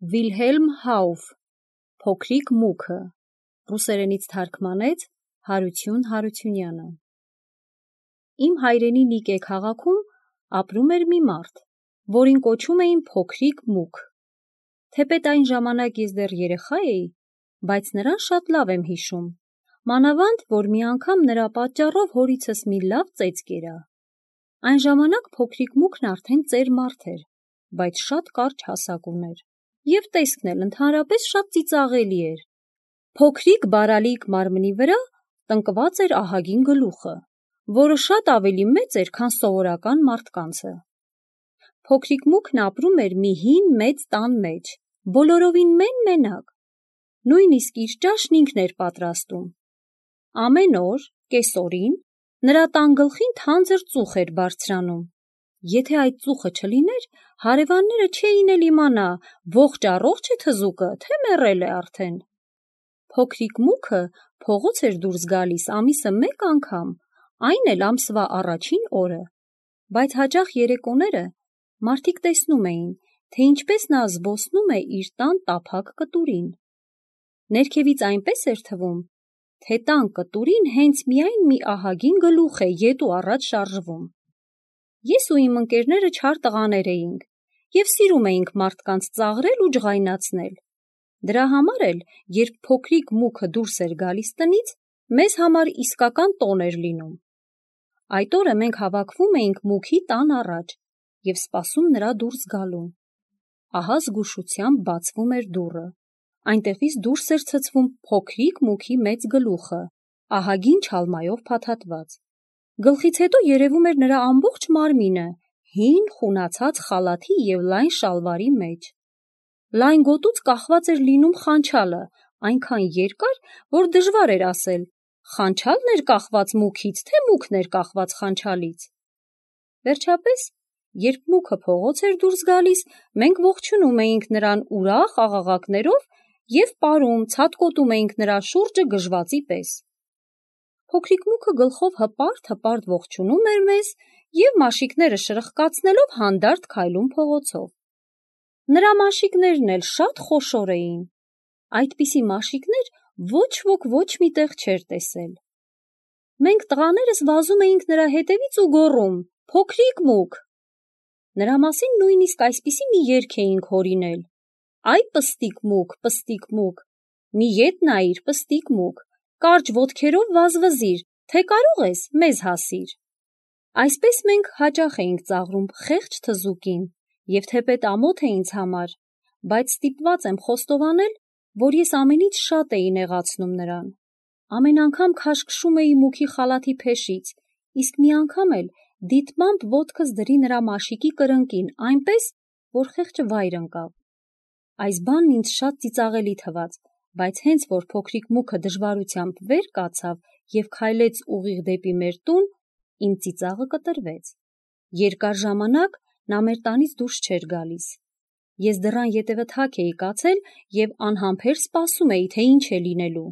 Վիլհելմ Հաուֆ «Փոքրիկ մուքը», ռուսերենից թարգմանեց Հարություն Հարությունյանը։ Իմ հայրենի Նիկե քաղաքում ապրում էր մի մարդ, որին կոչում էին Փոքրիկ մուք։ Թեպետ այն ժամանակ ես դեռ երեխա էի, բայց նրան շատ լավ եմ հիշում, մանավանդ, որ մի անգամ նրա պատճառով հորիցս մի լավ ծեծ կերա։ Այն ժամանակ Փոքրիկ մուքն արդեն ծեր մարդ էր, բայց շատ կարճ հասակ ուներ, և տեսքն էլ ընդհանրապես շատ ծիծաղելի էր։ Փոքրիկ բարալիկ մարմնի վրա տնկված էր ահագին գլուխը, որը շատ ավելի մեծ էր, քան սովորական մարդկանցը։ Փոքրիկ մուքն ապրում էր մի հին մեծ տան մեջ, բոլորովին մենակ, նույնիսկ իր ճաշն ինքն էր պատրաստում։ Ամեն օր, կեսօրին, նրա տան գլխին թանձր ծուխ էր բարձրանում։ Եթե այդ ծուխը չլիներ, հարևանները չէին էլ իմանա ողջ-առողջ է թզուկը, թե մեռել է արդեն։ Փոքրիկ մուքը փողոց էր դուրս գալիս ամիսը մեկ անգամ, այն էլ ամսվա առաջին օրը, բայց հաճախ երեկոները մարդիկ տեսնում էին, թե ինչպես նա զբոսնում է իր տան տափակ կտուրին։ Ներքևից այնպես էր թվում, թե տան կտուրին հենց միայն մի ահագին գլուխ է ետ ու առաջ շարժվում։ Ես ու իմ ընկերները չար տղաներ էինք և սիրում էինք մարդկանց ծաղրել ու ջղայնացնել։ Դրա համար էլ, երբ Փոքրիկ մուքը դուրս էր գալիս տնից, մեզ համար իսկական տոն էր լինում։ Այդ օրը մենք հավաքվում էինք մուքի տան առաջ և սպասում նրա դուրս գալուն։ Ահա զգուշությամբ բացվում էր դուռը, այնտեղից դուրս էր ցցվում Փոքրիկ մուքի մեծ գլուխը, ահագին չալմայով փաթաթված։ Գլխից հետո երևում էր նրա ամբողջ մարմինը հին խունացած խալաթի և լայն շալվարի մեջ։ Լայն գոտուց կախված էր լինում խանչալը, այնքան երկար, որ դժվար էր ասել՝ խանչա՞լն էր կախված մուքից, թե մուքն էր կախված խանչալից։ Վերջապես, երբ մուքը փողոց էր դուրս գալիս, մենք ողջունում էինք նրան ուրախ աղաղակներով և պարում, ցատկոտում էինք նրա շուրջը գժվածի պես։ Փոքրիկ մուքը գլխով հպարտ ողջունում էր մեզ և մաշիկները շրխկացնելով հանդարտ քայլում փողոցով։ Նրա մաշիկներն էլ շատ խոշոր էին։ Այդպիսի մաշիկներ ոչ ոք ոչ մի տեղ չէր տեսել։ Մենք տղաներս վազում էինք նրա հետևից ու գոռում. «Փոքրիկ մուք»։ Նրա մասին նույնիսկ այսպիսի մի երգ էինք հորինել. «Այ պստիկ մուք, մի ետ նայիր, պստիկ մուք, կարճ ոտքերով վազվզիր, թե կարող ես, մեզ հասիր»։ Այսպես մենք հաճախ էինք ծաղրում խեղճ թզուկին, և թեպետ ամոթ է ինձ համար, բայց ստիպված եմ խոստովանել, որ ես ամենից շատ էի նեղացնում նրան։ Ամեն անգամ քաշքշում էի մուքի խալաթի փեշից, իսկ մի անգամ էլ դիտմամբ ոտքս դրի նրա մաշիկի կրնկին, այնպես, որ խեղճը վայր ընկավ։ Այս բանն ինձ շատ ծիծաղելի թվաց, բայց հենց որ Փոքրիկ մուքը դժվարությամբ վեր կացավ և քայլեց ուղիղ դեպի մեր տուն, իմ ծիծաղը կտրվեց։ Երկար ժամանակ նա մեր տանից դուրս չէր գալիս։ Ես դռան ետևը թակ էի կացել և անհամբեր սպասում էի, թե ինչ է լինելու։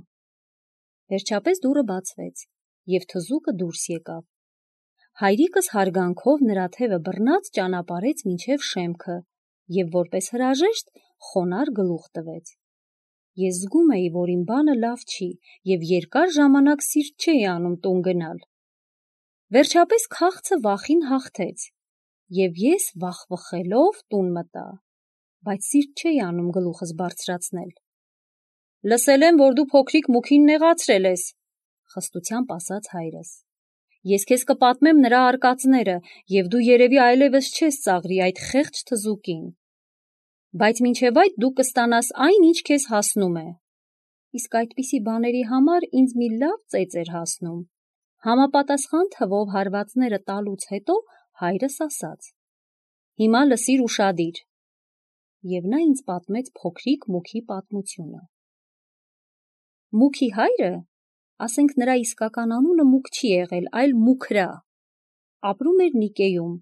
Վերջապես դուռը բացվեց, և թզուկը դուրս եկավ։ Հայրիկս հարգանքով նրա թևը բռնած ճանապարհեց մինչև շեմքը և որպես հրաժեշտ խոնարհ գլուխ տվեց։ Ես զգում էի, որ իմ բանը լավ չի և երկար ժամանակ սիրտ չէի անում տուն գնալ։ Վերջապես քաղցը վախին հաղթեց, և ես վախվխելով տուն մտա, բայց սիրտ չէի անում գլուխս բարձրացնել։ «Լսել եմ, որ դու Փոքրիկ մուքին նեղացրել ես», խստությամբ ասաց հայրս։ «Ես քեզ կպատմեմ նրա արկածները, և դու երևի այլևս չես ծաղրի այդ խեղճ թզուկին։ Բայց մինչև այդ դու կստանաս այն, ինչ քեզ հասնում է»։ Իսկ այդպիսի բաների համար ինձ մի լավ ծեծ էր հասնում։ Համապատասխան թվով հարվածները տալուց հետո հայրս ասաց. «Հիմա լսիր ուշադիր»։ Եվ նա ինձ պատմեց Փոքրիկ մուքի պատմությունը։ Մուքի հայրը, ասենք նրա իսկական անունը Մուք չի եղել, այլ Մուքրա, ապրում էր Նիկեում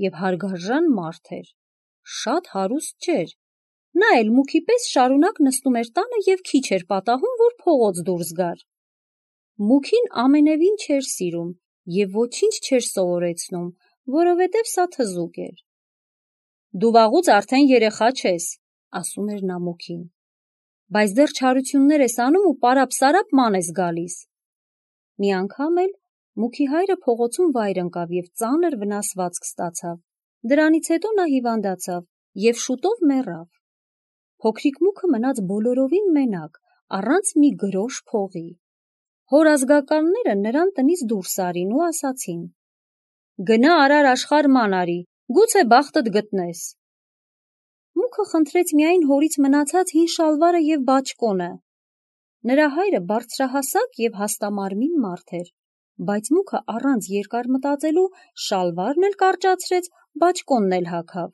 և հարգարժան մարդ էր, շատ հարուստ չէր, նա էլ Մուքի պես շարունակ նստում էր տանը և քիչ էր պատահում, որ փողոց դուրս գար։ Մուքին ամենևին չէր սիրում և ոչինչ չէր սովորեցնում, որովհետև սա թզուկ էր։ «Դու վաղուց արդեն երեխա չես, ասում էր նա Մուքին, բայց դեռ չարություններ ես անում ու պարապ-սարապ ման ես գալիս։ Մի անգամ էլ Մուքի հայրը փողոցում վայր ընկավ և ծանր վնասվածք ստացավ, դրանից հետո նա հիվանդացավ և շուտով մեռավ։ Փոքրիկ Մուքը մնաց բոլորովին մենակ, առանց մի գրոշ փողի։ Հոր ազգականները նրան տնից դուրս արին ու ասացին. «Գնա արար աշխարհ ման արի, գուցե բախտդ գտնես»։ Մուքը խնդրեց միայն հորից մնացած հին շալվարը և բաճկոնը։ Նրա հայրը բարձրահասակ և հաստամարմին մարդ էր, բայց Մուքը առանց երկար մտածելու շալվարն էլ կարճացրեց, բաճկոնն էլ հագավ։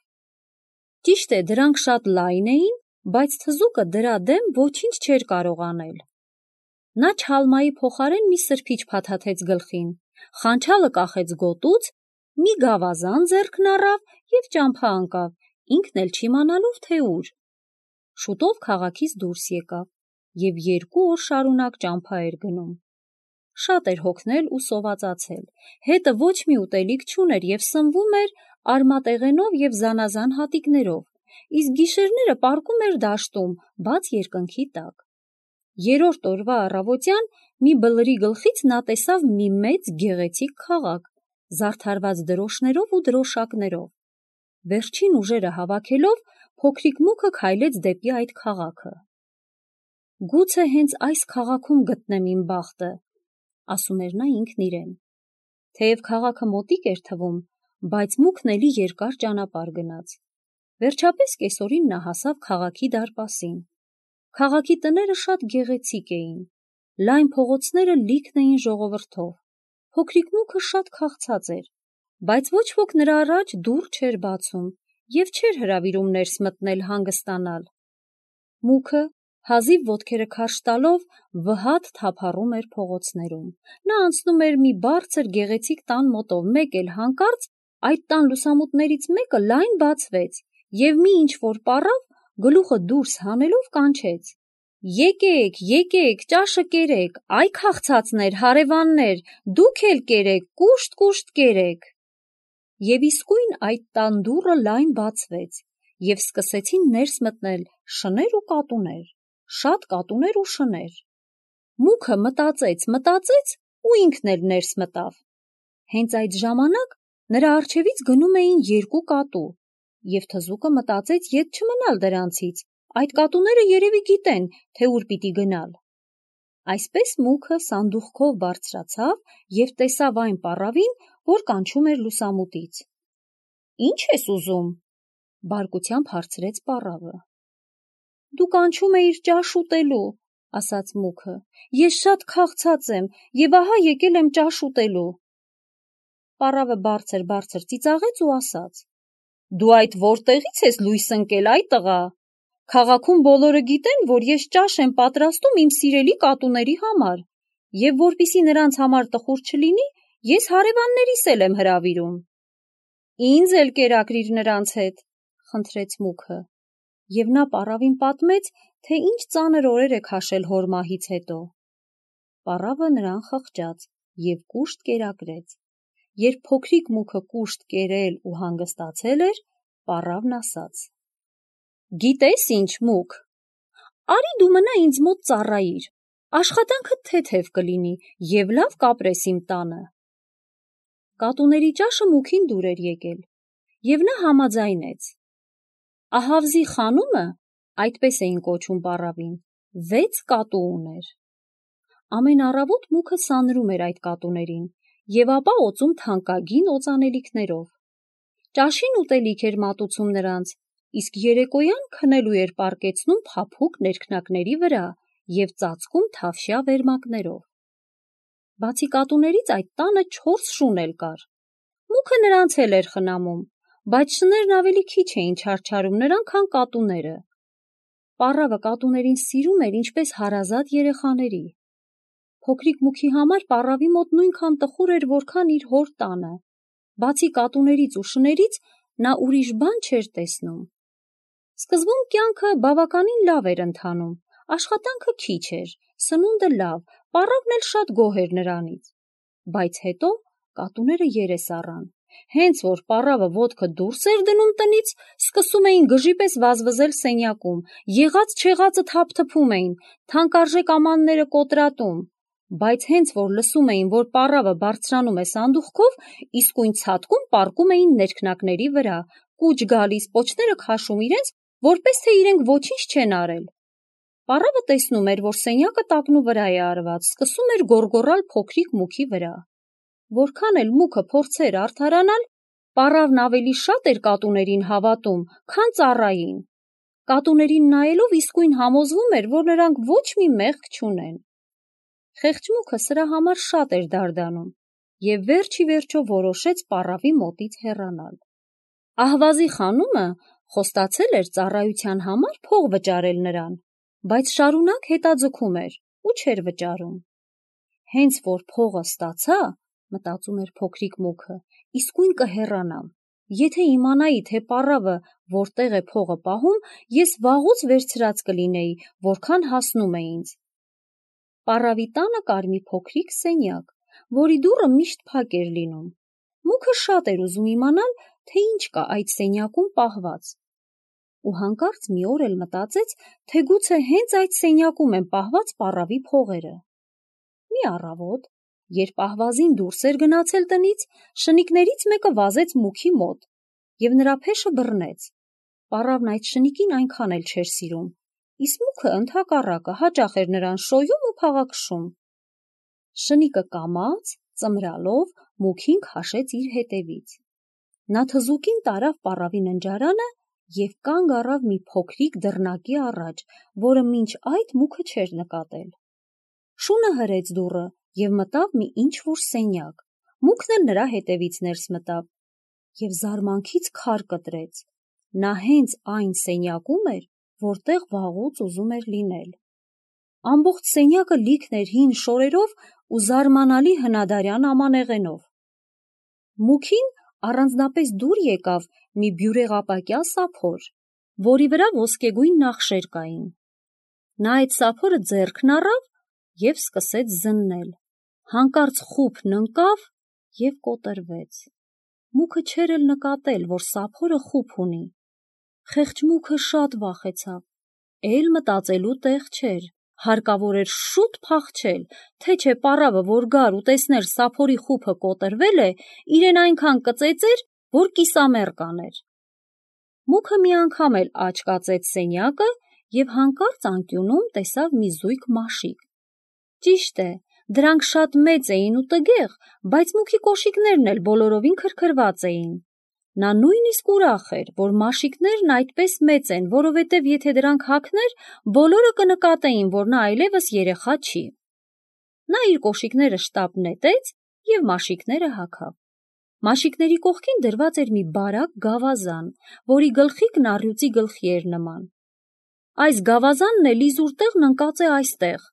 Ճիշտ է, դրանք շատ լայն էին, բայց թզուկը դրա դեմ ոչինչ չէր կարող անել։ Նա չալմայի փոխարեն մի սրբիչ փաթաթեց գլխին, խանչալը կախեց գոտուց, մի գավազան ձեռքն առավ և ճամփա ընկավ, ինքն էլ չիմանալով, թե ուր։ Շուտով քաղաքից դուրս եկավ և 2 օր շարունակ ճամփա էր գնում։ Շատ էր հոգնել ու սովածացել, հետը ոչ մի ուտելիք չուներ և սնվում էր արմատեղենով և զանազան հատիկներով, իսկ գիշերները պառկում էր դաշտում, բաց երկնքի տակ։ 3-րդ օրվա առավոտյան մի բլրի գլխից նա տեսավ մի մեծ գեղեցիկ քաղաք, զարդարված դրոշներով ու դրոշակներով։ Վերջին ուժերը հավաքելով, փոքրիկ Մուքը քայլեց դեպի այդ քաղաքը։ «Գուցե հենց այս քաղաքում գտնեմ իմ բախտը», ասում էր նա ինքն իրեն։ Թեև քաղաքը մոտիկ էր թվում, բայց Մուքն էլի երկար ճանապարհ գնաց։ Վերջապես կեսօրին նա հասավ քաղաքի դարպասին։ Քաղաքի տները շատ գեղեցիկ էին, լայն փողոցները լիքն էին ժողովրդով։ Փոքրիկ Մուքը շատ քաղցած էր, բայց ոչ ոք նրա առաջ դուռ չէր բացում և չէր հրավիրում ներս մտնել հանգստանալ։ Մուքը հազիվ ոտքերը քարշ տալով վհատ թափառում էր փողոցներում։ Նա անցնում էր մի բարձր գեղեցիկ տան մոտով, մեկ էլ հանկարծ այդ տան լուսամուտներից մեկը լայն բացվեց, և մի ինչ-որ պառավ գլուխը դուրս հանելով կանչեց. «Եկեք, եկեք, ճաշը կերեք, այ քաղցածներ, հարևաններ, դուք էլ կերեք, կուշտ կերեք»։ Եվ իսկույն այդ տան դուռը լայն բացվեց, և սկսեցին ներս մտնել շներ ու կատուներ, շատ կատուներ ու շներ։ Մուքը մտածեց ու ինքն էլ ներս մտավ։ Հենց այդ ժամանակ նրա առջևից գնում էին 2 կատու, և թզուկը մտածեց ետ չմնալ դրանցից, այդ կատուները երևի գիտեն, թե ուր պիտի գնալ։ Այսպես Մուքը սանդուղքով բարձրացավ և տեսավ այն պառավին, որ կանչում էր լուսամուտից։ «Ի՞նչ ես ուզում», բարկությամբ հարցրեց պառավը։ «Դու կանչում էիր ճաշ ուտելու», ասաց Մուքը։ «Ես շատ քաղցած եմ և ահա եկել եմ ճաշ ուտելու»։ Պառավը բարձր ծիծաղեց ու ասաց. «Դու այդ որտեղի՞ց ես լույս ընկել, այ տղա։ Քաղաքում բոլորը գիտեն, որ ես ճաշ եմ պատրաստում իմ սիրելի կատուների համար, և որպեսզի նրանց համար տխուր չլինի, ես հարևաններիս էլ եմ հրավիրում»։ «Ինձ էլ կերակրիր նրանց հետ», խնդրեց Մուքը, և նա պառավին պատմեց, թե ինչ ծանր օրեր է քաշել հոր մահից հետո։ Պառավը նրան խղճաց և կուշտ կերակրեց։ Երբ փոքրիկ Մուքը կուշտ կերել ու հանգստացել էր, պառավն ասաց. «Գիտես ինչ, Մուք, արի դու մնա ինձ մոտ ծառայիր, աշխատանքդ թեթև կլինի և լավ կապրես իմ տանը»։ Կատուների ճաշը Մուքին դուր էր եկել, և նա համաձայնեց։ Ահավզի խանումը, այդպես էին կոչում պառավին, 6 կատու ուներ։ Ամեն առավոտ Մուքը սանրում էր այդ կատուներին և ապա օծում թանկագին օծանելիքներով։ Ճաշին ուտելիք էր մատուցում նրանց, իսկ երեկոյան քնելու էր պառկեցնում փափուկ ներքնակների վրա և ծածկում թավշյա վերմակներով։ Բացի կատուներից այդ տանը 4 շուն էլ կար։ Մուքը նրանց էլ էր խնամում, բայց շներն ավելի քիչ էին չարչարում նրան, քան կատուները։ Պառավը կատուներին սիրում էր ինչպես հարազատ երեխաների։ Փոքրիկ Մուքի համար պառավի մոտ նույնքան տխուր էր, որքան իր հոր տանը։ Բացի կատուներից ու շներից նա ուրիշ բան չէր տեսնում։ Սկզբում կյանքը բավականին լավ էր ընթանում, աշխատանքը քիչ էր, սնունդը լավ, պառավն էլ շատ գոհ էր նրանից։ Բայց հետո կատուները երես առան, Հենց որ պառավը ոտքը դուրս էր դնում տնից, սկսում էին գժի պես վազվզել սենյակում, եղած չեղածը թափթփում էին, թանկարժեք ամանները կոտրատում, բայց հենց որ լսում էին, որ պառավը բարձրանում է սանդուղքով, իսկույն ցատկում պառկում էին ներքնակների վրա, կուչ գալիս, պոչները քաշում իրենց, որպես թե իրենք ոչինչ չեն արել։ Պառավը տեսնում էր, որ սենյակը տակնու վրա է արված, սկսում էր գոռգոռալ փոքրիկ մուքի վրա։ Որքան էլ մուքը փորձեր արդարանալ, պառավն ավելի շատ էր կատուներին հավատում, քան ծառային։ Կատուներին նայելով իսկույն համոզվում էր, որ նրանք ոչ մի մեղք չունեն։ Խեղճ մուքը սրա համար շատ էր դարդանում և վերջ ի վերջո որոշեց պառավի մոտից հեռանալ։ Ահվազի խանումը խոստացել էր ծառայության համար փող վճարել նրան, բայց շարունակ հետաձգում էր ու չէր վճարում։ Հենց որ փողը ստացա, մտածում էր փոքրիկ մուքը, իսկույն կհեռանամ։ Եթե իմանայի, թե պառավը որտեղ է փողը պահում, ես վաղուց վերցրած կլինեի, որքան հասնում է ինձ։ Պառավի տանը կար մի փոքրիկ սենյակ, որի դուռը միշտ փակ էր լինում։ Մուքը շատ էր ուզում իմանալ, թե ինչ կա այդ սենյակում պահված։ Ու հանկարծ մի օր էլ մտածեց, թե գուցե հենց այդ սենյակում են պահված պառավի փողերը։ Մի առավոտ, երբ ահվազին դուրս էր գնացել տնից, շնիկներից մեկը վազեց մուքի մոտ և նրա փեշը բռնեց։ Պառավն այդ շնիկին այնքան էլ չէր սիրում, իսկ մուքը ընդհակառակը հաճախ էր նրան շոյում ու փաղաքշում։ Շնիկը կամաց, ծմրալով, մուքին քաշեց իր հետևից։ Նա թզուկին տարավ պառավի ննջարանը և կանգ առավ մի փոքրիկ դռնակի առաջ, որը մինչ այդ մուքը չէր նկատել։ Շունը հրեց դուռը և մտավ մի ինչ-որ սենյակ։ Մուքն էլ նրա հետևից ներս մտավ և զարմանքից քար կտրեց։ Նա հենց այն սենյակում էր, որտեղ վաղուց ուզում էր լինել։ Ամբողջ սենյակը լիքն էր հին շորերով ու զարմանալի հնադարյան ամանեղենով։ Մուքին առանձնապես դուր եկավ մի բյուրեղապակյա սափոր, որի վրա ոսկեգույն նախշեր կային։ Նա այդ սափորը ձեռքն առավ և սկսեց զննել։ Հանկարծ խուփն ընկավ և կոտրվեց։ Մուքը չէր էլ նկատել, որ սափորը խուփ ունի։ Խեղճ մուքը շատ վախեցավ, էլ մտածելու տեղ չէր, հարկավոր էր շուտ փախչել, թե չէ պառավը, որ գար ու տեսներ սափորի խուփը կոտրվել է, իրեն այնքան կծեծեր, որ կիսամեռ կաներ։ Մուքը մի անգամ էլ աջ կացեց սենյակը և հանկարծ անկյունում տեսավ մի զույգ մաշիկ։ Ճիշտ է, դրանք շատ մեծ էին ու տգեղ, բայց մուքի կոշիկներն էլ բոլորովին քրքրված էին։ Նա նույնիսկ ուրախ էր, որ մաշիկներն այդպես մեծ են, որովհետև եթե դրանք հագներ, բոլորը կնկատեին, որ նա այլևս երեխա չի։ Նա իր կոշիկները շտապ նետեց և մաշիկները հագավ։ Մաշիկների կողքին դրված էր մի բարակ գավազան, որի գլխիկն առյուծի գլխի էր նման։ Այս գավազանն էլ իզուր տեղն ընկած է այստեղ,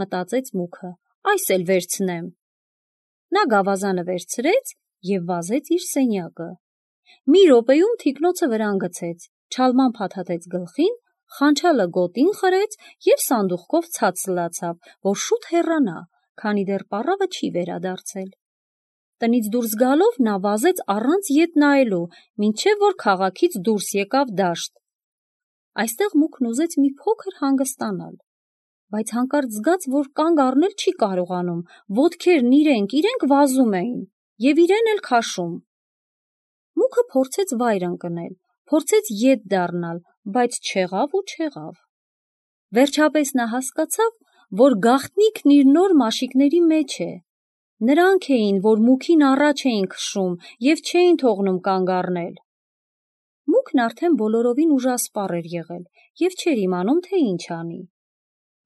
մտածեց մուքը, այս էլ վերցնեմ։ Նա գավազանը վերցրեց և վազեց իր սենյակը։ Մի րոպեում թիկնոցը վրան գցեց, չալման փաթաթեց գլխին, խանչալը գոտին խրեց և սանդուղքով ցած սլացավ, որ շուտ հեռանա, քանի դեռ պառավը չի վերադարձել։ Տնից դուրս գալով նա վազեց առանց ետ նայելու, մինչև որ քաղաքից դուրս եկավ դաշտ։ Այստեղ մուքն ուզեց մի փոքր հանգստանալ, բայց հանկարծ զգաց, որ կանգ առնել չի կարողանում, ոտքերն իրենք վազում էին և իրեն էլ քաշում։ Մուքը փորձեց վայր ընկնել, փորձեց ետ դառնալ, բայց չեղավ ու չեղավ։ Վերջապես նա հասկացավ, որ գաղտնիքն իր նոր մաշիկների մեջ է։ Նրանք էին, որ մուքին առաջ էին քշում և չէին թողնում կանգ առնել։ Մուքն արդեն բոլորովին ուժասպառ էր եղել և չէր իմանում, թե ինչ անի։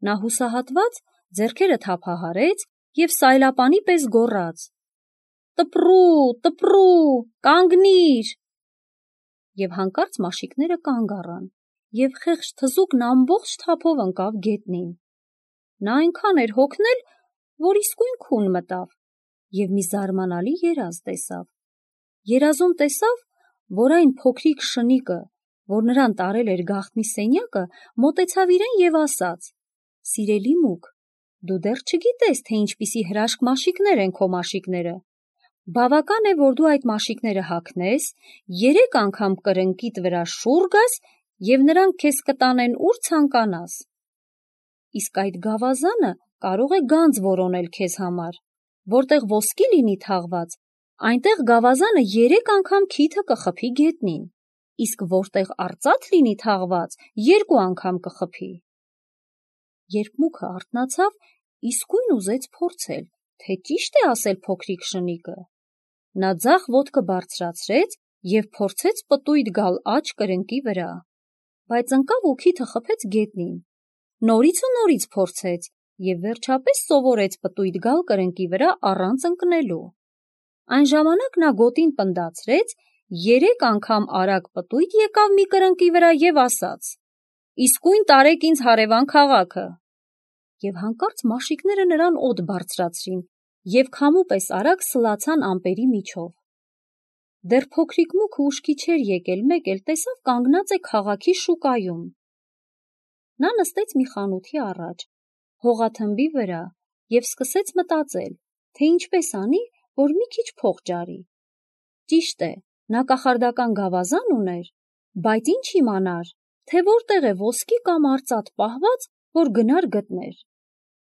Նա հուսահատված ձեռքերը թափահարեց և սայլապանի պես գոռաց. «Տպրու, տպրու, կանգնիր»։ Եվ հանկարծ մաշիկները կանգ առան, և խեղճ թզուկն ամբողջ թափով ընկավ գետնին։ Նա այնքան էր հոգնել, որ իսկույն քուն մտավ և մի զարմանալի երազ տեսավ։ Երազում տեսավ, որ այն փոքրիկ շնիկը, որ նրան տարել էր գաղտնի սենյակը, մոտեցավ իրեն և ասաց. «Սիրելի մուք, դու դեռ չգիտես, թե ինչպիսի հրաշք մաշիկներ են քո մաշիկները, Բավական է, որ դու այդ մաշիկները հագնես, 3 անգամ կրնկիդ վրա շուռ գաս և նրանք քեզ կտանեն ուր ցանկանաս։ Իսկ այդ գավազանը կարող է գանձ որոնել քեզ համար, որտեղ ոսկի լինի թաղված, այնտեղ գավազանը 3 անգամ քիթը կխփի գետնին, իսկ որտեղ արծաթ լինի թաղված, 2 անգամ կխփի։ Երբ մուքը արթնացավ, իսկույն ուզեց փորձել, թե ճիշտ է ասել փոքրիկ շնիկը։ Նա ձախ ոտքը բարձրացրեց և փորձեց պտույտ գալ աջ կրնկի վրա, բայց ընկավ ու քիթը խփեց գետնին։ Նորից ու նորից փորձեց և վերջապես սովորեց պտույտ գալ կրնկի վրա առանց ընկնելու։ Այն ժամանակ նա գոտին պնդացրեց, 3 անգամ արագ պտույտ եկավ մի կրնկի վրա և ասաց. «Իսկույն տարեք ինձ հարևան քաղաքը»։ Եվ հանկարծ մաշիկները նրան օդ բարձրացրին և քամու պես արագ սլացան ամպերի միջով։ Դեռ փոքրիկ մուքը ուշքի չէր եկել, մեկ էլ տեսավ կանգնած է քաղաքի շուկայում։ Նա նստեց մի խանութի առաջ, հողաթմբի վրա և սկսեց մտածել, թե ինչպես անի, որ մի քիչ փող ջարի։ Ճիշտ է, նա կախարդական գավազան ուներ, բայց ինչ իմանար, թե որտեղ է ոսկի կամ արծաթ պահված, որ գնար գտներ։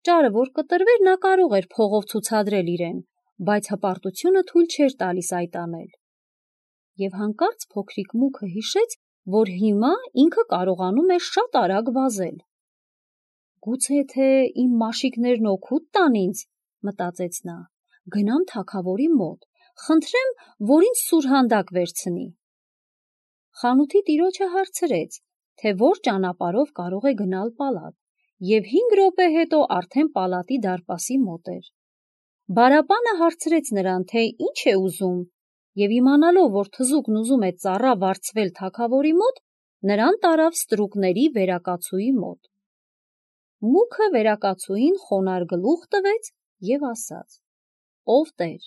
Ճարը որ կտրվեր, նա կարող էր փողով ցուցադրել իրեն, բայց հպարտությունը թույլ չէր տալիս այդ անել։ Եվ հանկարծ փոքրիկ մուքը հիշեց, որ հիմա ինքը կարողանում է շատ արագ վազել։ Գուցե թե իմ մաշիկներն օգուտ տան ինձ, մտածեց նա, գնամ թագավորի մոտ, խնդրեմ, որ ինձ սուրհանդակ վերցնի։ Խանութի տիրոջը հարցրեց, թե որ ճանապարհով կարող է գնալ պալատ, և 5 րոպե հետո արդեն պալատի դարպասի մոտ էր։ Բարապանը հարցրեց նրան, թե ինչ է ուզում, և իմանալով, որ թզուկն ուզում է ծառա վարձվել թագավորի մոտ, նրան տարավ ստրուկների վերակացուի մոտ։ Մուքը վերակացուին խոնարհ գլուխ տվեց և ասաց. «Ով տեր,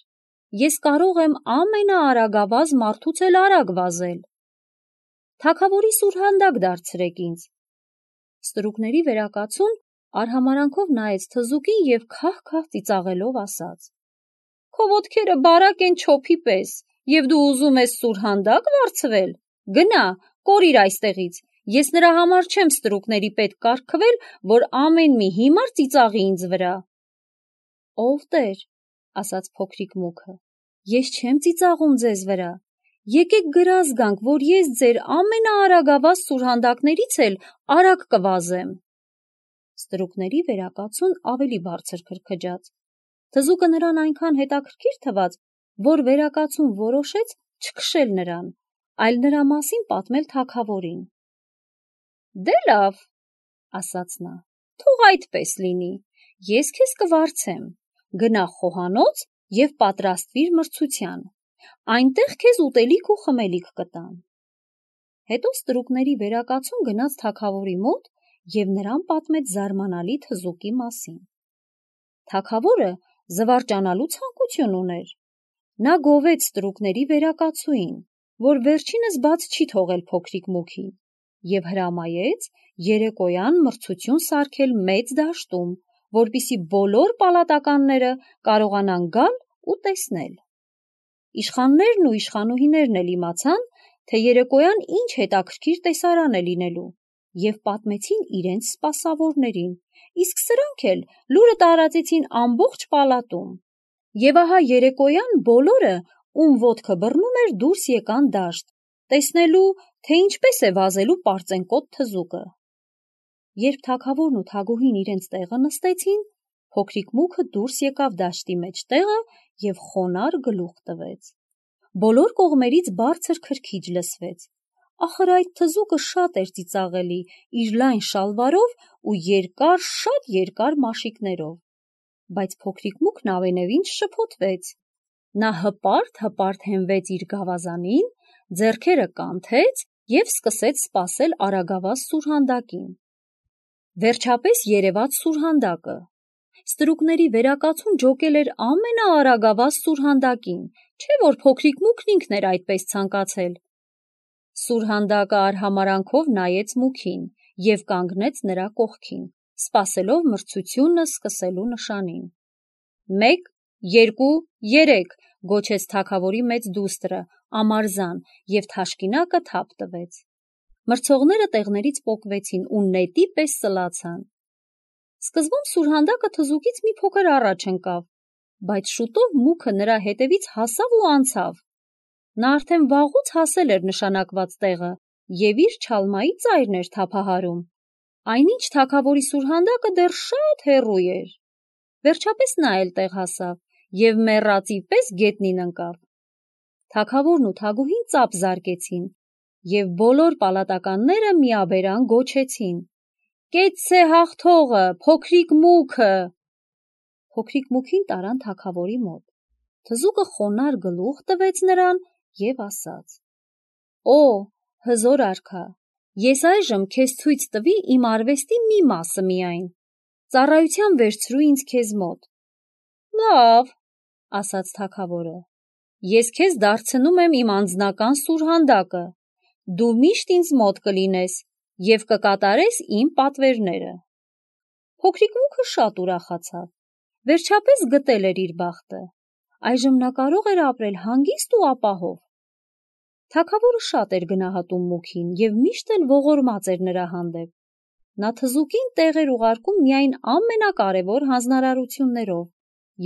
ես կարող եմ ամենաարագավազ մարդուց էլ արագ վազել։ Թագավորի սուրհանդակ դարձրեք ինձ»։ Ստրուկների վերակացուն արհամարանքով նայեց թզուկին և քահ-քահ ծիծաղելով ասաց. «Քո ոտքերը բարակ են չոփի պես, և դու ուզում ես սուրհանդակ վարձվել։ Գնա, կորիր այստեղից, ես նրա համար չեմ ստրուկների պետք կարգվել, որ ամեն մի հիմար ծիծաղի ինձ վրա»։ «Ով տեր», ասաց փոքրիկ մուքը, «ես չեմ ծիծաղում ձեզ վրա, եկեք գրազ գանք, որ ես ձեր ամենաարագավազ սուրհանդակներից էլ արագ կվազեմ»։ Ստրուկների վերակացուն ավելի բարձր քրքջաց։ Թզուկը նրան այնքան հետաքրքիր թվաց, որ վերակացուն որոշեց չքշել նրան, այլ նրա մասին պատմել թագավորին։ «Դե լավ», ասաց նա, «թող այդպես լինի, ես քեզ կվարձեմ, գնա խոհանոց և պատրաստվիր մրցության, այնտեղ քեզ ուտելիք ու խմելիք կտան»։ Հետո ստրուկների վերակացուն գնաց թագավորի մոտ և նրան պատմեց զարմանալի թզուկի մասին։ Թագավորը զվարճանալու ցանկություն ուներ։ Նա գովեց ստրուկների վերակացուին, որ վերջինս բաց չի թողել փոքրիկ մուքին, և հրամայեց երեկոյան մրցություն սարքել մեծ դաշտում, որպեսզի բոլոր պալատականները կարողանան գալ ու տեսնել։ Իշխաններն ու իշխանուհիներն էլ իմացան, թե երեկոյան ինչ հետաքրքիր տեսարան է լինելու, և պատմեցին իրենց սպասավորներին, իսկ սրանք էլ լուրը տարածեցին ամբողջ պալատում։ Եվ ահա երեկոյան բոլորը, ում ոտքը բռնում էր, դուրս եկան դաշտ, տեսնելու, թե ինչպես է վազելու պարծենկոտ թզուկը։ Երբ թագավորն ու թագուհին իրենց տեղը նստեցին, փոքրիկ մուքը դուրս եկավ դաշտի մեջտեղը և խոնարհ գլուխ տվեց։ Բոլոր կողմերից բարձր քրքիջ լսվեց։ Ախր այդ թզուկը շատ էր ծիծաղելի իր լայն շալվարով ու երկար, շատ երկար մաշիկներով։ Բայց փոքրիկ մուքն ամենևին չշփոթվեց։ Նա հպարտ հենվեց իր գավազանին, ձեռքերը կանթեց և սկսեց սպասել արագավազ սուրհանդակին։ Վերջապես երևաց սուրհանդակը։ Ստրուկների վերակացուն ջոկել էր ամենաարագավազ սուրհանդակին, չէ՞ որ փոքրիկ մուքն ինքն էր այդպես ցանկացել։ Սուրհանդակը արհամարանքով նայեց մուքին և կանգնեց նրա կողքին, սպասելով մրցությունը սկսելու նշանին։ 1, 2, 3 գոչեց թագավորի մեծ դուստրը, Ամարզան, և թաշկինակը թափ տվեց։ Մրցողները տեղներից պոկվեցին ու նետի պես սլացան։ Սկզբում Սուրհանդակը թզուկից մի փոքր առաջ ընկավ, բայց շուտով մուքը նրա հետևից հասավ ու անցավ։ Նա արդեն վաղուց հասել էր նշանակված տեղը և իր չալմայի ծայրն էր թափահարում, այնինչ թագավորի Սուրհանդակը դեռ շատ հեռու էր։ Վերջապես նա էլ տեղ հասավ և մեռածի պես գետնին ընկավ։ Թագավորն ու թագուհին ծափ զարկեցին, և բոլոր պալատականները միաբերան գոչեցին. «Կեցցե հաղթողը, փոքրիկ մուքը»։ Փոքրիկ մուքին տարան թագավորի մոտ։ Թզուկը խոնարհ գլուխ տվեց նրան և ասաց. «Օ, հզոր արքա, ես այժմ քեզ ցույց տվի իմ արվեստի մի մասը միայն, ծառայության վերցրու ինձ քեզ մոտ»։ «Լավ», ասաց թագավորը, «ես քեզ դարձնում եմ իմ անձնական Սուրհանդակը, դու միշտ ինձ մոտ կլինես և կկատարես իմ պատվերները»։ Փոքրիկ մուքը շատ ուրախացավ, վերջապես գտել էր իր բախտը, այժմ նա կարող էր ապրել հանգիստ ու ապահով։ Թագավորը շատ էր գնահատում մուքին և միշտ էլ ողորմած էր նրա հանդեպ։ Նա թզուկին տեղ էր ուղարկում միայն ամենակարևոր հանձնարարություններով,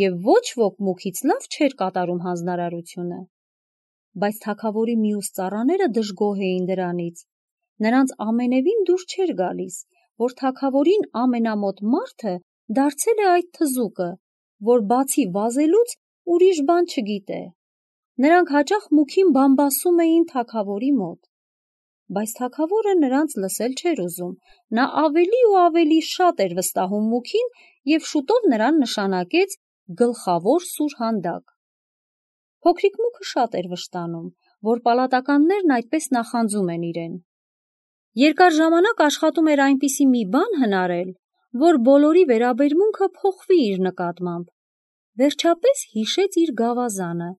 և ոչ ոք մուքից լավ չէր կատարում հանձնարարությունը։ Բայց թագավորի մյուս ծառաները դժգոհ էին դրանից։ Նրանց ամենևին դուր չէր գալիս, որ թագավորին ամենամոտ մարդը դարձել է այդ թզուկը, որ բացի վազելուց ուրիշ բան չգիտե։ Նրանք հաճախ մուքին բամբասում էին թագավորի մոտ։ Բայց թագավորը նրանց լսել չէր ուզում, նա ավելի ու ավելի շատ էր վստահում մուքին և շուտով նրան նշանակեց գլխավոր Սուրհանդակ։ Փոքրիկ մուքը շատ էր վշտանում, որ պալատականներն այդպես նախանձում են իրեն։ Երկար ժամանակ աշխատում էր այնպիսի մի բան հնարել, որ բոլորի վերաբերմունքը փոխվի իր նկատմամբ։ Վերջապես հիշեց իր գավազանը,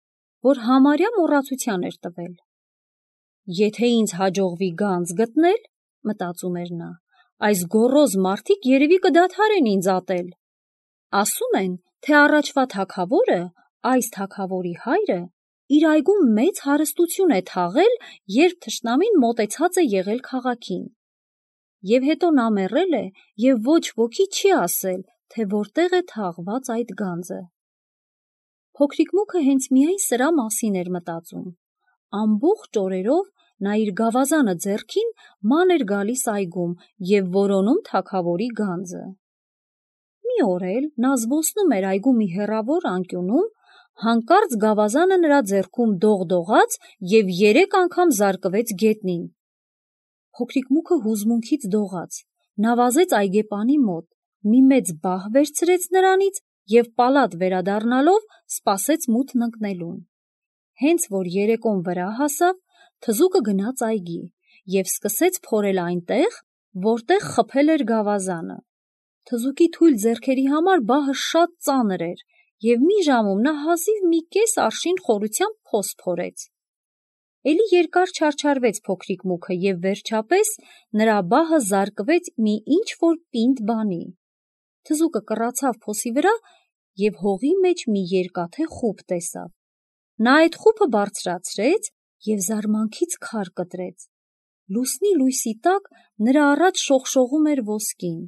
որ համարյա մոռացության էր տվել։ «Եթե ինձ հաջողվի գանձ գտնել, — մտածում էր նա, — այս գոռոզ մարդիկ երևի կդադարեն ինձ ատել։ Ասում են, թե առաջվա թագավորը, այս թագավորի հայրը, իր այգում մեծ հարստություն է թաղել, երբ թշնամին մոտեցած է եղել քաղաքին։ Եվ հետո նա մեռել է, և ոչ ոքի չի ասել, թե որտեղ է թաղված այդ գանձը»։ Փոքրիկ մուքը հենց միայն սրա մասին էր մտածում։ Ամբողջ օրերով նա իր գավազանը ձեռքին ման էր գալիս այգում և որոնում թագավորի գանձը։ Մի օր էլ նա զբոսնում էր այգու մի հեռավոր անկյունում, հանկարծ գավազանը նրա ձեռքում դողդողաց և 3 անգամ զարկվեց գետնին։ Փոքրիկ մուքը հուզմունքից դողաց, նա վազեց այգեպանի մոտ, մի մեծ բահ վերցրեց նրանից և պալատ վերադառնալով սպասեց մութն ընկնելուն։ Հենց որ երեկոն վրա հասավ, թզուկը գնաց այգի և սկսեց փորել այնտեղ, որտեղ խփել էր գավազանը։ Թզուկի թույլ ձեռքերի համար բահը շատ ծանր էր, և մի ժամում նա հազիվ մի կես արշին խորությամբ փոս փորեց։ Էլի երկար չարչարվեց փոքրիկ մուքը և վերջապես նրա բահը զարկվեց մի ինչ-որ պինդ բանի։ Թզուկը կռացավ փոսի վրա և հողի մեջ մի երկաթե խուփ տեսավ։ Նա այդ խուփը բարձրացրեց և զարմանքից քար կտրեց։ Լուսնի լույսի տակ նրա առաջ շողշողում էր ոսկին։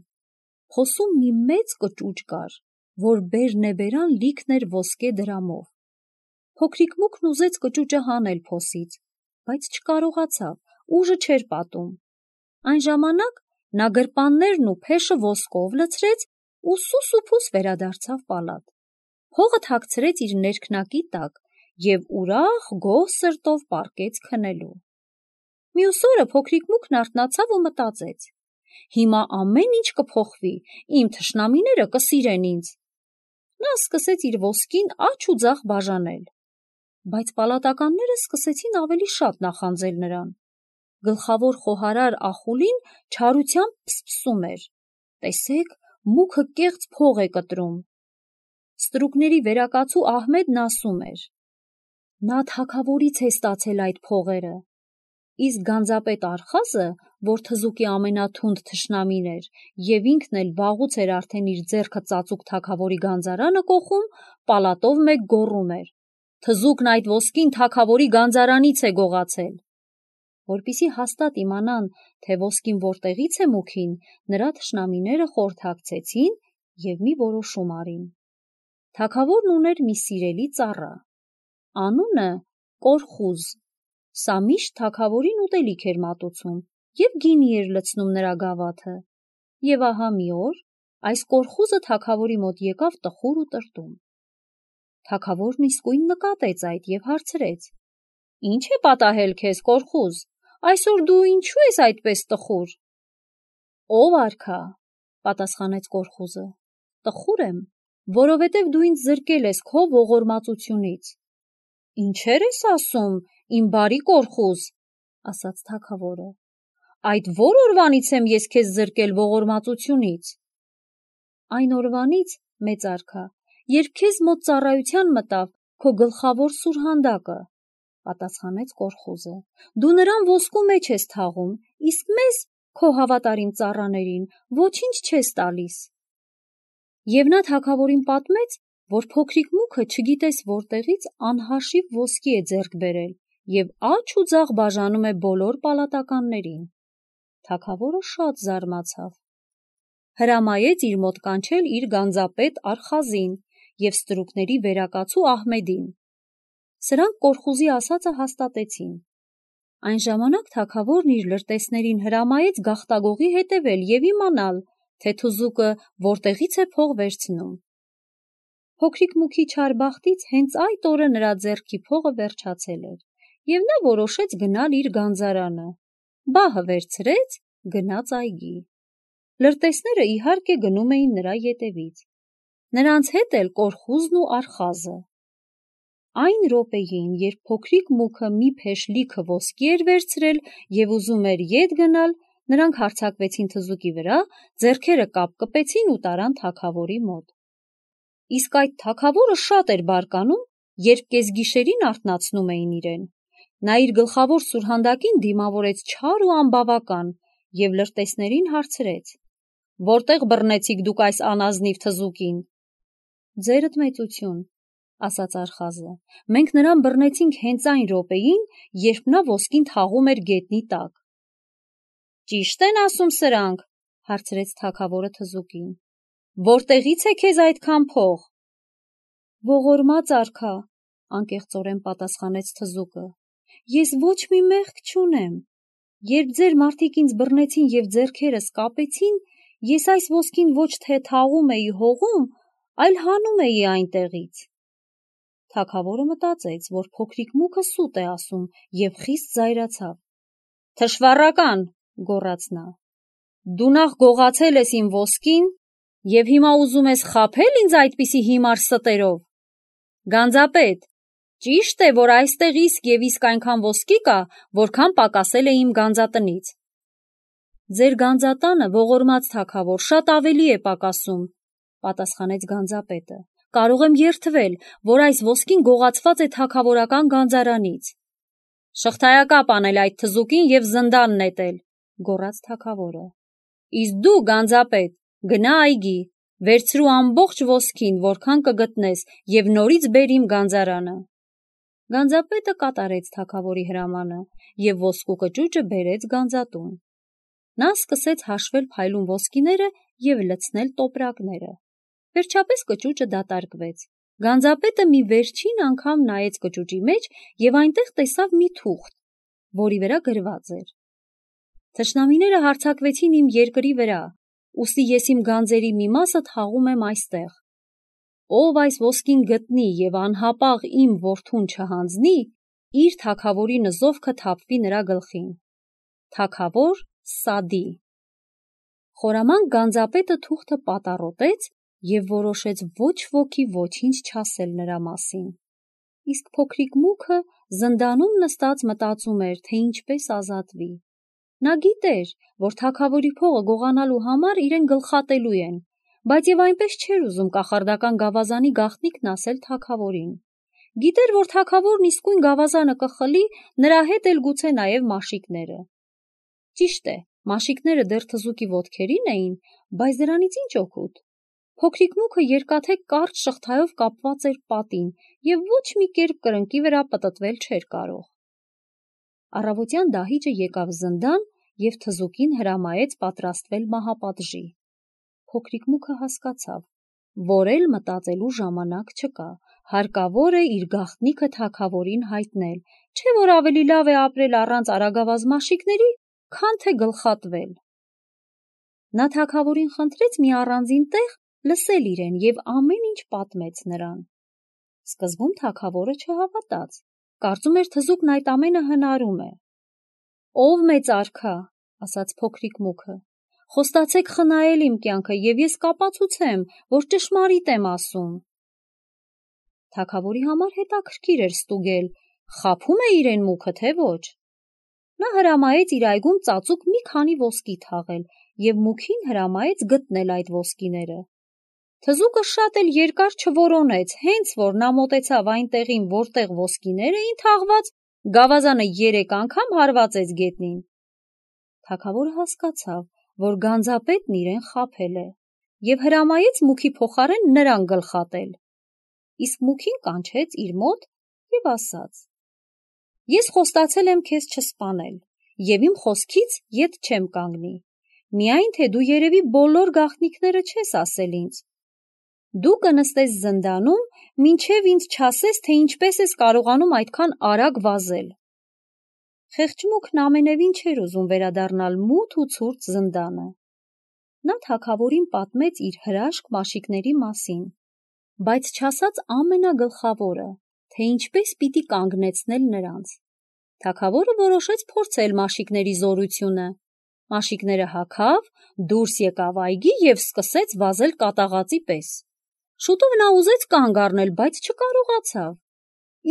Փոսում մի մեծ կճուճ կար, որ բերնեբերան լիքն էր ոսկե դրամով։ Փոքրիկ մուքն ուզեց կճուճը հանել փոսից, բայց չկարողացավ, ուժը չէր պատում։ Այն ժամանակ նա գրպաններն ու փեշը ոսկով լցրեց ու սուս վերադարձավ պալատ։ Հողը թաքցրեց իր ներքնակի տակ և ուրախ գոհ սրտով պառկեց քնելու։ Մյուս օրը փոքրիկ մուքն արթնացավ ու մտածեց. «Հիմա ամեն ինչ կփոխվի, իմ թշնամիները կսիրեն ինձ»։ Նա սկսեց իր ոսկին աջ ու ձախ բաժանել։ Բայց պալատականները սկսեցին ավելի շատ նախանձել նրան։ Գլխավոր խոհարար Ախուլին չարությամբ փսփսում էր. «Տեսեք, մուքը կեղծ փող է կտրում»։ Ստրուկների վերակացու Ահմեդն ասում էր. «Նա թագավորից է ստացել այդ փողերը»։ Իսկ գանձապետ Արխազը, որ թզուկի ամենաթունդ թշնամին էր և ինքն էլ վաղուց էր արդեն իր ձեռքը ծածուկ թագավորի գանձարանը կոխում, պալատով մեկ գոռում էր. թզուկն այդ ոսկին թագավորի գանձարանից է գողացել։ Որպեսզի հաստատ իմանան, թե ոսկին որտեղից է մուքին, նրա թշնամիները խորհրդակցեցին և մի որոշում արին։ Թագավորն ուներ մի սիրելի ծառա, անունը Կորխուզ։ Սա միշտ թագավորին ուտելիք էր մատուցում և գինի էր լցնում նրա գավաթը։ Եվ ահա մի օր այս Կորխուզը թագավորի մոտ եկավ տխուր ու տրտում։ Թագավորն իսկույն նկատեց այդ և հարցրեց. «Ինչ է պատահել քեզ, Կորխուզ, այսօր դու ինչու ես այդպես տխուր»։ «Ով արքա», պատասխանեց Կորխուզը, «տխուր եմ, որովհետև դու ինձ զրկել ես քո ողորմածությունից»։ «Ինչեր ես ասում, իմ բարի Կորխուզ», ասաց թագավորը, «այդ ո՞ր օրվանից եմ ես քեզ զրկել ողորմածությունից»։ «Այն օրվանից, մեծ արքա, երբ քեզ մոտ ծառայության մտավ քո գլխավոր սուրհանդակը», պատասխանեց Կորխուզը, «դու նրան ոսկու մեջ ես թաղում, իսկ մեզ, քո հավատարիմ ծառաներին, ոչինչ չես տալիս»։ Եվ նա թագավորին պատմեց, որ փոքրիկ մուքը չգիտես որտեղից անհաշիվ ոսկի է ձեռք բերել և աջ ու ձախ բաժանում է բոլոր պալատականներին։ Թագավորը շատ զարմացավ։ Հրամայեց իր մոտ կանչել իր գանձապետ Արխազին և ստրուկների վերակացու Ահմեդին։ Սրանք Կորխուզի ասածը հաստատեցին։ Այն ժամանակ թագավորն իր լրտեսներին հրամայեց գաղտագողի հետևել և իմանալ, թե թզուկը որտեղից է փող վերցնում։ Փոքրիկ մուքի չար բախտից հենց այդ օրը նրա ձեռքի փողը վերջացել էր, և նա որոշեց գնալ իր գանձարանը։ Բահը վերցրեց, գնաց այգի։ Լրտեսները իհարկե գնում էին նրա ետևից։ Նրանց հետ էլ Կորխուզն ու Արխազը։ Այն րոպեին, երբ փոքրիկ մուքը մի փեշ լիքը ոսկի էր վերցրել և ուզում էր ետ գնալ, նրանք հարձակվեցին թզուկի վրա, ձեռքերը կապկպեցին ու տարան թագավորի մոտ։ Իսկ այդ թագավորը շատ էր բարկանում, երբ կեսգիշերին արթնացնում էին իրեն։ Նա իր գլխավոր սուրհանդակին դիմավորեց չար ու անբավական և լրտեսներին հարցրեց. «Որտեղ բռնեցիք դուք այս անազնիվ թզուկին»։ «Ձերդ մեծություն», ասաց Արխազը, «մենք նրան բռնեցինք հենց այն րոպեին, երբ նա ոսկին թաղում էր գետնի տակ»։ «Ճիշտ են ասում սրանք», հարցրեց թագավորը թզուկին։ «Որտեղից է քեզ այդքան փող»։ «Ողորմած արքա», անկեղծորեն պատասխանեց թզուկը, «ես ոչ մի մեղք չունեմ։ Երբ ձեր մարդիկ ինձ բռնեցին և ձեռքերս կապեցին, ես այս ոսկին ոչ թե թաղում էի հողում, այլ հանում էի այնտեղից»։ Թագավորը մտածեց, որ փոքրիկ մուքը սուտ է ասում և խիստ զայրացավ։ «Թշվառական», գոռաց նա, «դու նախ գողացել ես իմ ոսկին և հիմա ուզում ես խաբե՞լ ինձ այդպիսի հիմար ստերով։ Գանձապետ, ճիշտ է, որ այստեղ իսկ և իսկ այնքան ոսկի կա, որքան պակասել է իմ գանձատնից»։ «Ձեր գանձատանը, ողորմած թագավոր, շատ ավելի է պակասում», պատասխանեց գանձապետը։ «Կարող եմ երդվել, որ այս ոսկին գողացված է թագավորական գանձարանից»։ «Շղթայակապ անել այդ թզուկին և զնդան նետել», գոռաց թագավորը։ «Իսկ դու, գանձապետ, գնա այգի, վերցրու ամբողջ ոսկին, որքան կգտնես, և նորից բեր իմ գանձարանը»։ Գանձապետը կատարեց թագավորի հրամանը և ոսկու կճուճը բերեց գանձատուն։ Նա սկսեց հաշվել փայլուն ոսկիները և լցնել տոպրակները։ Վերջապես կճուճը դատարկվեց։ Գանձապետը մի վերջին անգամ նայեց կճուճի մեջ և այնտեղ տեսավ մի թուղթ, որի վրա գրված էր. «Թշնամիները հարձակվեցին իմ երկրի վրա, ուստի ես իմ գանձերի մի մասը թաղում եմ այստեղ։ Ով այս ոսկին գտնի և անհապաղ իմ որդուն չհանձնի, իր թագավորի նզովքը թափվի նրա գլխին։ Թագավոր Սադի»։ Խորամանկ գանձապետը թուղթը պատառոտեց և որոշեց ոչ ոքի ոչինչ չասել նրա մասին։ Իսկ փոքրիկ մուքը զնդանում նստած մտածում էր, թե ինչպես ազատվի։ Նա գիտեր, որ թագավորի փողը գողանալու համար իրեն գլխատելու են, բայց և այնպես չէր ուզում կախարդական գավազանի գաղտնիքն ասել թագավորին։ Գիտեր, որ թագավորն իսկույն գավազանը կխլի, նրա հետ էլ գուցե նաև մաշիկները։ Ճիշտ է, մաշիկները դեռ թզուկի ոտքերին էին, բայց դրանից ինչ օգուտ։ Փոքրիկ մուկը երկաթե կարճ շղթայով կապված էր պատին և ոչ մի կերպ կրնկի վրա պտտվել չէր կարող։ Առավոտյան դահիճը եկավ զնդան և թզուկին հրամայեց պատրաստվել մահապատժի։ Փոքրիկ մուկը հասկացավ, որ էլ մտածելու ժամանակ չկա, հարկավոր է իր գաղտնիքը թագավորին հայտնել, չէ՞ որ ավելի լավ է ապրել առանց արագավազ մաշիկների, քան թե գլխատվել։ Նա թագավորին խնդրեց մի առանձին տեղ լսել իրեն և ամեն ինչ պատմեց նրան։ Սկզբում թագավորը չհավատաց, կարծում էր թզուկն այդ ամենը հնարում է։ «Ով մեծ արքա», ասաց փոքրիկ մուկը, «խոստացեք խնայել իմ կյանքը, և ես կապացուցեմ, որ ճշմարիտ եմ ասում»։ Թագավորի համար հետաքրքիր էր ստուգել, խաբում է իրեն մուկը, թե ոչ։ Նա հրամայեց իր այգում ծածուկ մի քանի ոսկի թաղել և մուքին հրամայեց գտնել այդ ոսկիները։ Թզուկը շատ էլ երկար չորոնեց, հենց որ նա մոտեցավ այն տեղին, որտեղ ոսկիներ էին թաղված, գավազանը 3 անգամ հարվածեց գետնին։ Թագավորը հասկացավ, որ գանձապետն իրեն խաբել է և հրամայեց մուքի փոխարեն նրան գլխատել։ Իսկ մուքին կանչեց իր մոտ և ասաց. «Ես խոստացել եմ քեզ չսպանել և իմ խոսքից ետ չեմ կանգնի, միայն թե դու երևի բոլոր գաղտնիքները չես ասել ինձ։ Դու կնստես զնդանում, մինչև ինձ չասես, թե ինչպես ես կարողանում այդքան արագ վազել»։ Խեղճ մուկն ամենևին չէր ուզում վերադառնալ մութ ու ցուրտ զնդանը։ Նա թագավորին պատմեց իր հրաշք մաշիկների մասին, բայց չասաց ամենագլխավորը, թե ինչպես պիտի կանգնեցնել նրանց։ Թագավորը որոշեց փորձել մաշիկների զորությունը։ Մաշիկները հագավ, դուրս եկավ այգի և սկսեց վազել կատաղածի պես։ Շուտով նա ուզեց կանգ առնել, բայց չկարողացավ։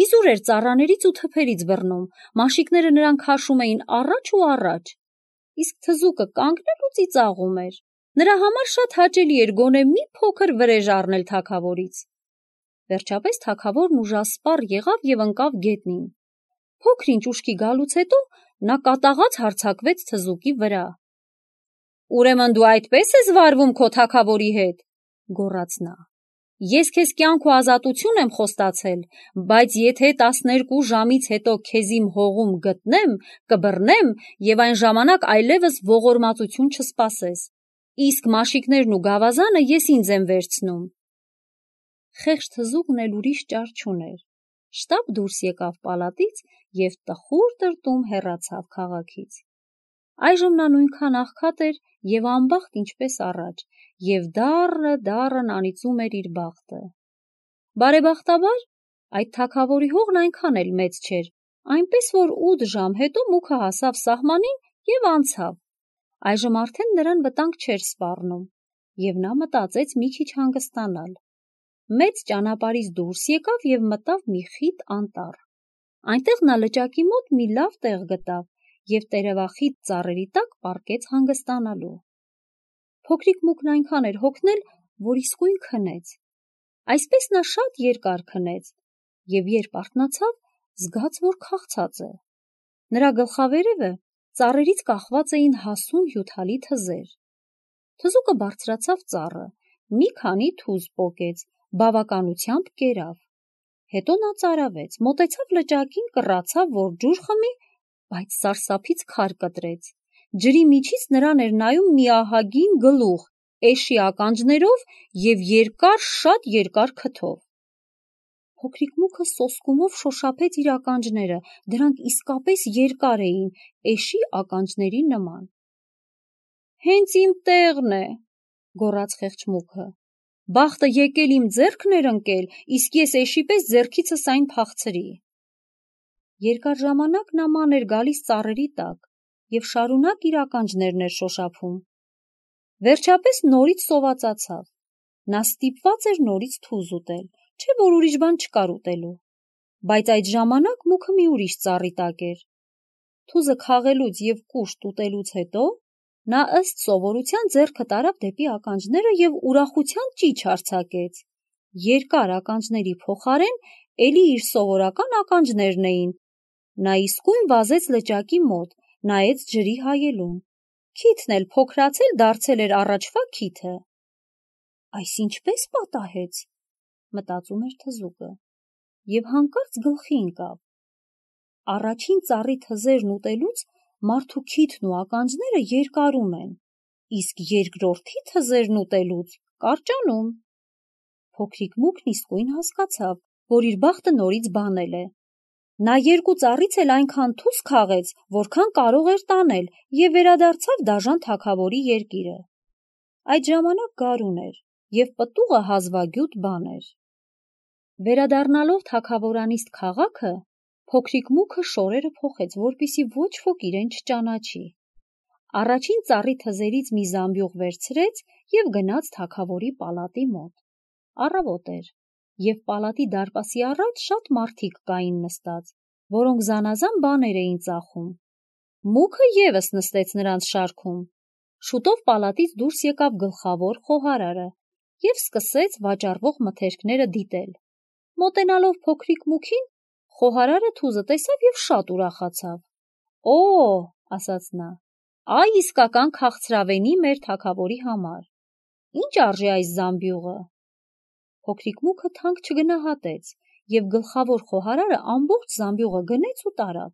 Իզուր էր ծառաներից ու թփերից բռնում, մաշիկները նրան քաշում էին առաջ ու առաջ։ Իսկ թզուկը կանգնել ու ծիծաղում էր։ Նրա համար շատ հաճելի էր գոնե մի փոքր վրեժ առնել թագավորից։ Վերջապես թագավորն ուժասպառ եղավ և ընկավ գետնին։ Փոքր-ինչ ուշքի գալուց հետո նա կատաղած հարձակվեց թզուկի վրա։ «Ուրեմն դու այդպես ես վարվում քո թագավորի հետ», գոռաց նա։ «Ես քեզ կյանք ու ազատություն եմ խոստացել, բայց եթե 12 ժամից հետո քեզ իմ հողում գտնեմ, կբռնեմ և այն ժամանակ այլևս ողորմածություն չսպասես, իսկ մաշիկներն ու գավազանը ես ինձ եմ վերցնում»։ Խեղճ թզուկն էլ ուրիշ ճար չուներ։ Շտապ դուրս եկավ պալատից և տխուր տրտում հեռացավ քաղաքից։ Այժմ նա նույնքան աղքատ էր և անբախտ, ինչպես առաջ, և դառն անիծում էր իր բախտը։ Բարեբախտաբար, այդ թագավորի հողն այնքան էլ մեծ չէր, այնպես որ 8 ժամ հետո մուկը հասավ սահմանին և անցավ։ Այժմ արդեն նրան վտանգ չէր սպառնում, և նա մտածեց մի քիչ հանգստանալ։ Մեծ ճանապարհից դուրս եկավ և մտավ մի խիտ անտառ։ Այնտեղ նա լճակի մոտ մի լավ տեղ գտավ և տերևախիտ ծառերի տակ պառկեց հանգստանալու։ Փոքրիկ մուկն այնքան էր հոգնել, որ իսկույն քնեց։ Այսպես նա շատ երկար քնեց և երբ արթնացավ, զգաց, որ քաղցած է։ Նրա գլխավերևը ծառերից կախված էին հասուն հյութալի թզեր։ Թզուկը բարձրացավ ծառը, մի քանի թուզ պոկեց, բավականությամբ կերավ։ Հետո նա ծարավեց, մոտեցավ լճակին, կռացավ, որ ջուր խմի, բայց սարսափից քար կտրեց։ Ջրի միջից նրան էր նայում մի ահագին գլուխ, էշի ականջներով և շատ երկար քթով։ Փոքրիկ մուկը սոսկումով շոշափեց իր ականջները, դրանք իսկապես երկար էին, էշի ականջների նման։ «Հենց իմ տեղն է», գոռաց խեղճ մուկը։ «Բախտը եկել իմ ձեռքն էր ընկել, իսկ ես էշի պես ձեռքիցս այն փախցրի»։ Երկար ժամանակ նա ման էր գալիս ծառերի տակ և շարունակ իր ականջներն էր շոշափում։ Վերջապես նորից սովածացավ։ Նա ստիպված էր նորից թուզ ուտել, չէ՞ որ ուրիշ բան չկար ուտելու։ Բայց այդ ժամանակ մուկը մի ուրիշ ծառի տակ էր։ Թուզը քաղելուց և կուշտ ուտելուց հետո նա ըստ սովորության ձեռքը տարավ դեպի ականջները և ուրախության ճիչ արձակեց։ Երկար ականջների փոխարեն էլի իր սովորական ականջներն էին։ Նա իսկույն վազեց լճակի մոտ, նայեց ջրի հայելուն։ Քիթն էլ փոքրացել դարձել էր առաջվա քիթը։ Այս ինչպես պատահեց, մտածում էր թզուկը, և հանկարծ գլխի ընկավ. առաջին ծառի թզերն ուտելուց մարդու քիթն ու ականջները երկարում են, իսկ երկրորդի թզերն ուտելուց կարճանում։ Փոքրիկ Մուկն իսկույն հասկացավ, որ իր բախտը նորից բանել է։ Նա երկու ծառից էլ այնքան թուս քաղեց, որքան կարող էր տանել, և վերադարձավ դաժան թագավորի երկիրը։ Այդ ժամանակ գարուն էր, և պտուղը հազվագյուտ բան էր։ Վերադառնալով թագավորանիստ քաղաքը, փոքրիկ Մուկը շորերը փոխեց, որպեսզի ոչ ոք իրեն չճանաչի։ Առաջին ծառի թզերից մի զամբյուղ վերցրեց և գնաց թագավորի պալատի մոտ։ Առավոտ էր, և պալատի դարպասի առաջ շատ մարդիկ կային նստած, որոնք զանազան բաներ էին ծախում։ Մուկը ևս նստեց նրանց շարքում։ Շուտով պալատից դուրս եկավ գլխավոր խոհարարը և սկսեց վաճառվող մթերքները դիտել։ Մոտենալով փոքրիկ Մուկին, խոհարարը թուզը տեսավ և շատ ուրախացավ։ «Օ, – ասաց նա, – այ իսկական քաղցրավենի մեր թագավորի համար։ Ինչ արժի այս զամբյուղը»։ Փոքրիկ Մուկը թանկ չգնահատեց, և գլխավոր խոհարարը ամբողջ զամբյուղը գնեց ու տարավ։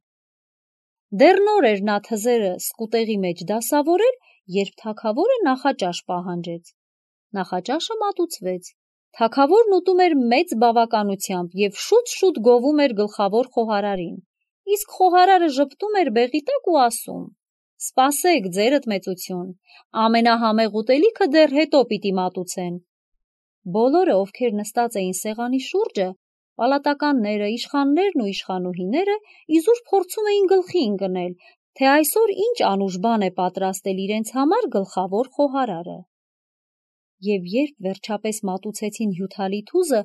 Դեռ նոր էր նա թզերը սկուտեղի մեջ դասավորել, երբ թագավորը նախաճաշ պահանջեց։ Նախաճաշը մատուցվեց։ Թագավորն ուտում էր մեծ բավականությամբ և շուտ-շուտ գովում էր գլխավոր խոհարարին, իսկ խոհարարը ժպտում էր բեղի տակ ու ասում. «Սպասեք, ձերդ մեծություն, ամենահամեղ ուտելիքը դեռ հետո պիտի մատուցեն»։ Բոլորը, ովքեր նստած էին սեղանի շուրջը, պալատականները, իշխաններն ու իշխանուհիները, իզուր փորձում էին գլխի ընկնել, թե այսօր ինչ անուշ բան է պատրաստել իրենց համար գլխավոր խոհարարը։ Եվ երբ վերջապես մատուցեցին հյութալի թուզը,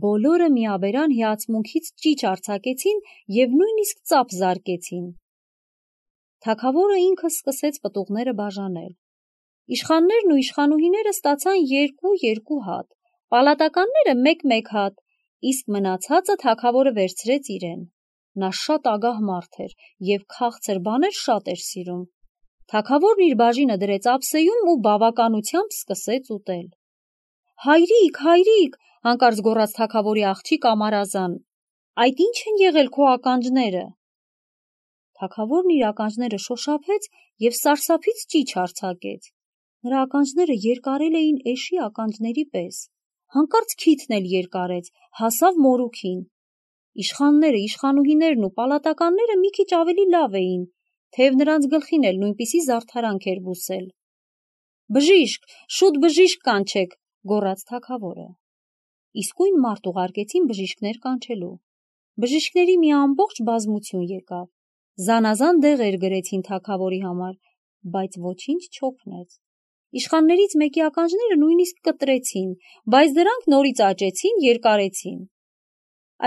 բոլորը միաբերան հիացմունքից ճիչ արձակեցին և նույնիսկ ծափ զարկեցին։ Թագավորը ինքը սկսեց պտուղները բաժանել։ Իշխաններն ու իշխանուհիները ստացան 2 հատ, պալատականները 1 հատ, իսկ մնացածը թագավորը վերցրեց իրեն։ Նա շատ ագահ մարդ էր և քաղցր բաներ շատ էր սիրում։ Թագավորն իր բաժինը դրեց ափսեում ու բավականությամբ սկսեց ուտել։ «Հայրիկ, հայրիկ, – հանկարծ գոռաց թագավորի աղջիկ Ամարազան, – այդ ի՞նչ են եղել քո ականջները»։ Թագավորն իր ականջները շոշափեց և սարսափից ճիչ արձակեց։ Նրա ականջները երկարել էին էշի ականջների պես։ Հանկարծ քիթն էլ երկարեց, հասավ մորուքին։ Իշխանները, իշխանուհիներն ու պալատականները մի քիչ ավելի լավ էին, թեև նրանց գլխին էլ նույնպիսի զարդարանք էր բուսել։ «Բժիշկ, շուտ բժիշկ կանչեք», – գոռաց թագավորը։ Իսկույն մարդ ուղարկեցին բժիշկներ կանչելու։ Բժիշկների մի ամբողջ բազմություն եկավ։ Զանազան դեղեր գրեցին թագավորի համար, բայց ոչինչ չօգնեց։ Իշխաններից մեկի ականջները նույնիսկ կտրեցին, բայց դրանք նորից աճեցին, երկարեցին։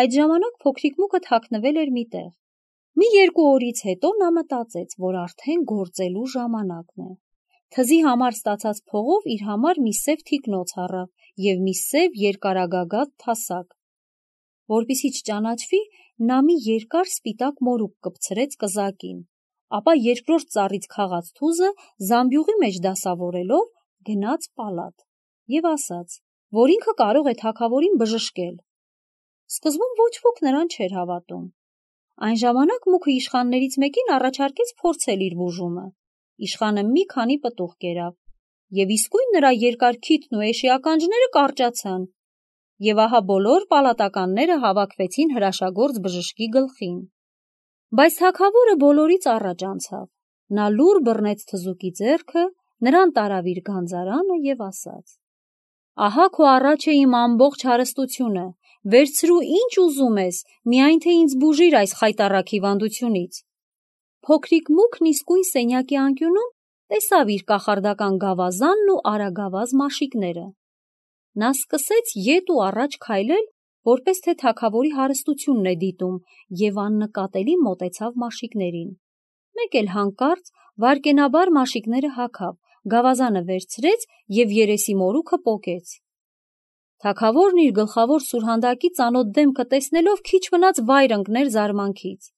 Այդ ժամանակ փոքրիկ Մուկը թաքնվել էր մի տեղ։ Մի 2 օրից հետո նա մտածեց, որ արդեն գործելու ժամանակն է։ Թզի համար ստացած փողով իր համար մի սև թիկնոց առավ և մի սև երկարագագաթ թասակ։ Որպեսզի չճանաչվի, նա մի երկար սպիտակ մորուք կպցրեց կզակին, ապա երկրորդ ծառից քաղած թուզը զամբյուղի մեջ դասավորելով գնաց պալատ և ասաց, որ ինքը կարող է թագավորին բժշկել։ Սկզբում ոչ ոք նրան չէր հավատում։ Այն ժամանակ Մուկը իշխաններից մեկին առաջարկեց փորձել իր բուժումը։ Իշխանը մի քանի պտուղ կերավ, և իսկույն նրա երկար քիթն ու էշի ականջները կարճացան, և ահա բոլոր պալատականները հավաքվեցին հրաշագործ բժշկի գլխին։ Բայց թագավորը բոլորից առաջ անցավ։ Նա լուռ բռնեց թզուկի ձեռքը, նրան տարավ իր գանձարանը և ասաց. «Ահա քո առաջ է իմ ամբողջ հարստությունը, վերցրու ինչ ուզում ես, միայն թե ինձ բուժիր այս խայտառակ հիվանդությունից»։ Փոքրիկ Մուկն իսկույն սենյակի անկյունում տեսավ իր կախարդական գավազանն ու արագավազ մաշիկները։ Նա սկսեց ետ ու առաջ քայլել, որպես թե թագավորի հարստությունն է դիտում, և աննկատելի մոտեցավ մաշիկներին։ Մեկ էլ հանկարծ վայրկենաբար մաշիկները հագավ, գավազանը վերցրեց և երեսի մորուքը պոկեց։ Թագավորն իր գլխավոր սուրհանդակի ծանոթ դեմքը տեսնելով քիչ մնաց վայր ընկներ զարմանքից։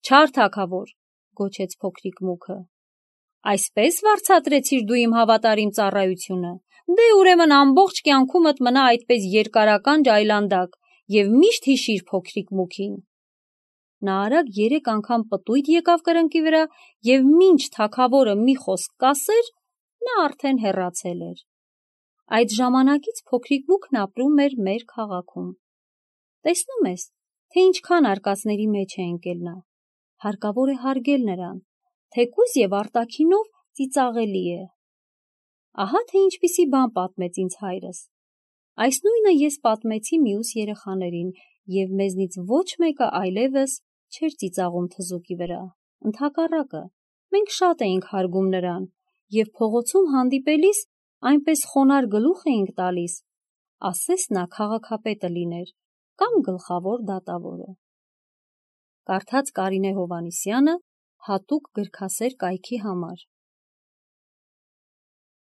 «Չար թագավոր», – գոչեց փոքրիկ Մուկը, – «այսպես վարձատրեցիր դու իմ հավատարիմ ծառայությունը, Դե ուրեմն ամբողջ կյանքումդ մնա այդպես երկարական ջայլանդակ և միշտ հիշիր փոքրիկ մուքին։ Նա արագ 3 անգամ պտույտ եկավ կրնկի վրա և մինչ թագավորը մի խոսք կասեր, նա արդեն հեռացել էր։ Այդ ժամանակից փոքրիկ մուքն ապրում էր մեր քաղաքում։ Տեսնում ես, թե ինչքան արկածների մեջ է ընկել նա։ Հարկավոր է հարգել նրան, թեկուզ և արտաքինով ծիծաղելի է։ Ահա թե ինչպիսի բան պատմեց ինձ հայրս։ Այս նույնը ես պատմեցի մյուս երեխաներին, և մեզնից ոչ մեկը այլևս չէր ծիծաղում թզուկի վրա։ Ընդհակառակը, մենք շատ էինք հարգում նրան և փողոցում հանդիպելիս այնպես խոնարհ գլուխ էինք տալիս, ասես նա քաղաքապետը լիներ կամ գլխավոր դատավորը։ Կարդաց Կարինե Հովհաննիսյանը հատուկ գրքասեր կայքի համար։